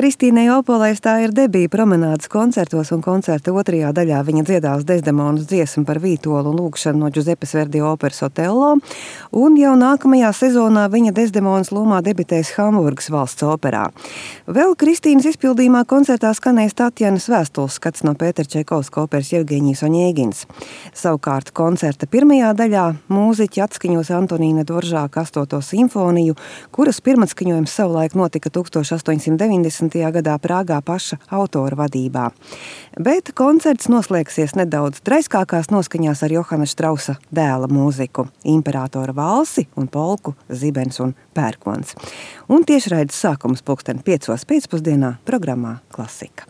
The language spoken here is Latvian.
Kristīnai Opolai tā ir debija promenādes koncertos, un koncerta otrajā daļā viņa dziedās Desdemonas dziesmu par Vītolu lūgšanu no Giuseppes Verdi operas Otello, un jau nākamajā sezonā viņa Desdemonas lomā debitēs Hamburgas valsts operā. Vēl Kristīnas izpildījumā koncertā skanēs Tatjanas vēstules skats no Pētera Čaikovska operas Jevgeņijs Oņēgins. Savukārt koncerta pirmajā daļā mūziķi atskaņos Antonīna Dvoržāka 8. simfoniju, kuras pirmatskaņojums savulaik notika 1890. gadā Prāgā paša autora vadībā. Bet koncerts noslēgsies nedaudz draiskākās noskaņās ar Johana Štrausa dēla mūziku, Imperatora valsi un polku Zibens un Pērkons. Un tiešraides sākums 5:00 pēcpusdienā programmā Klasika.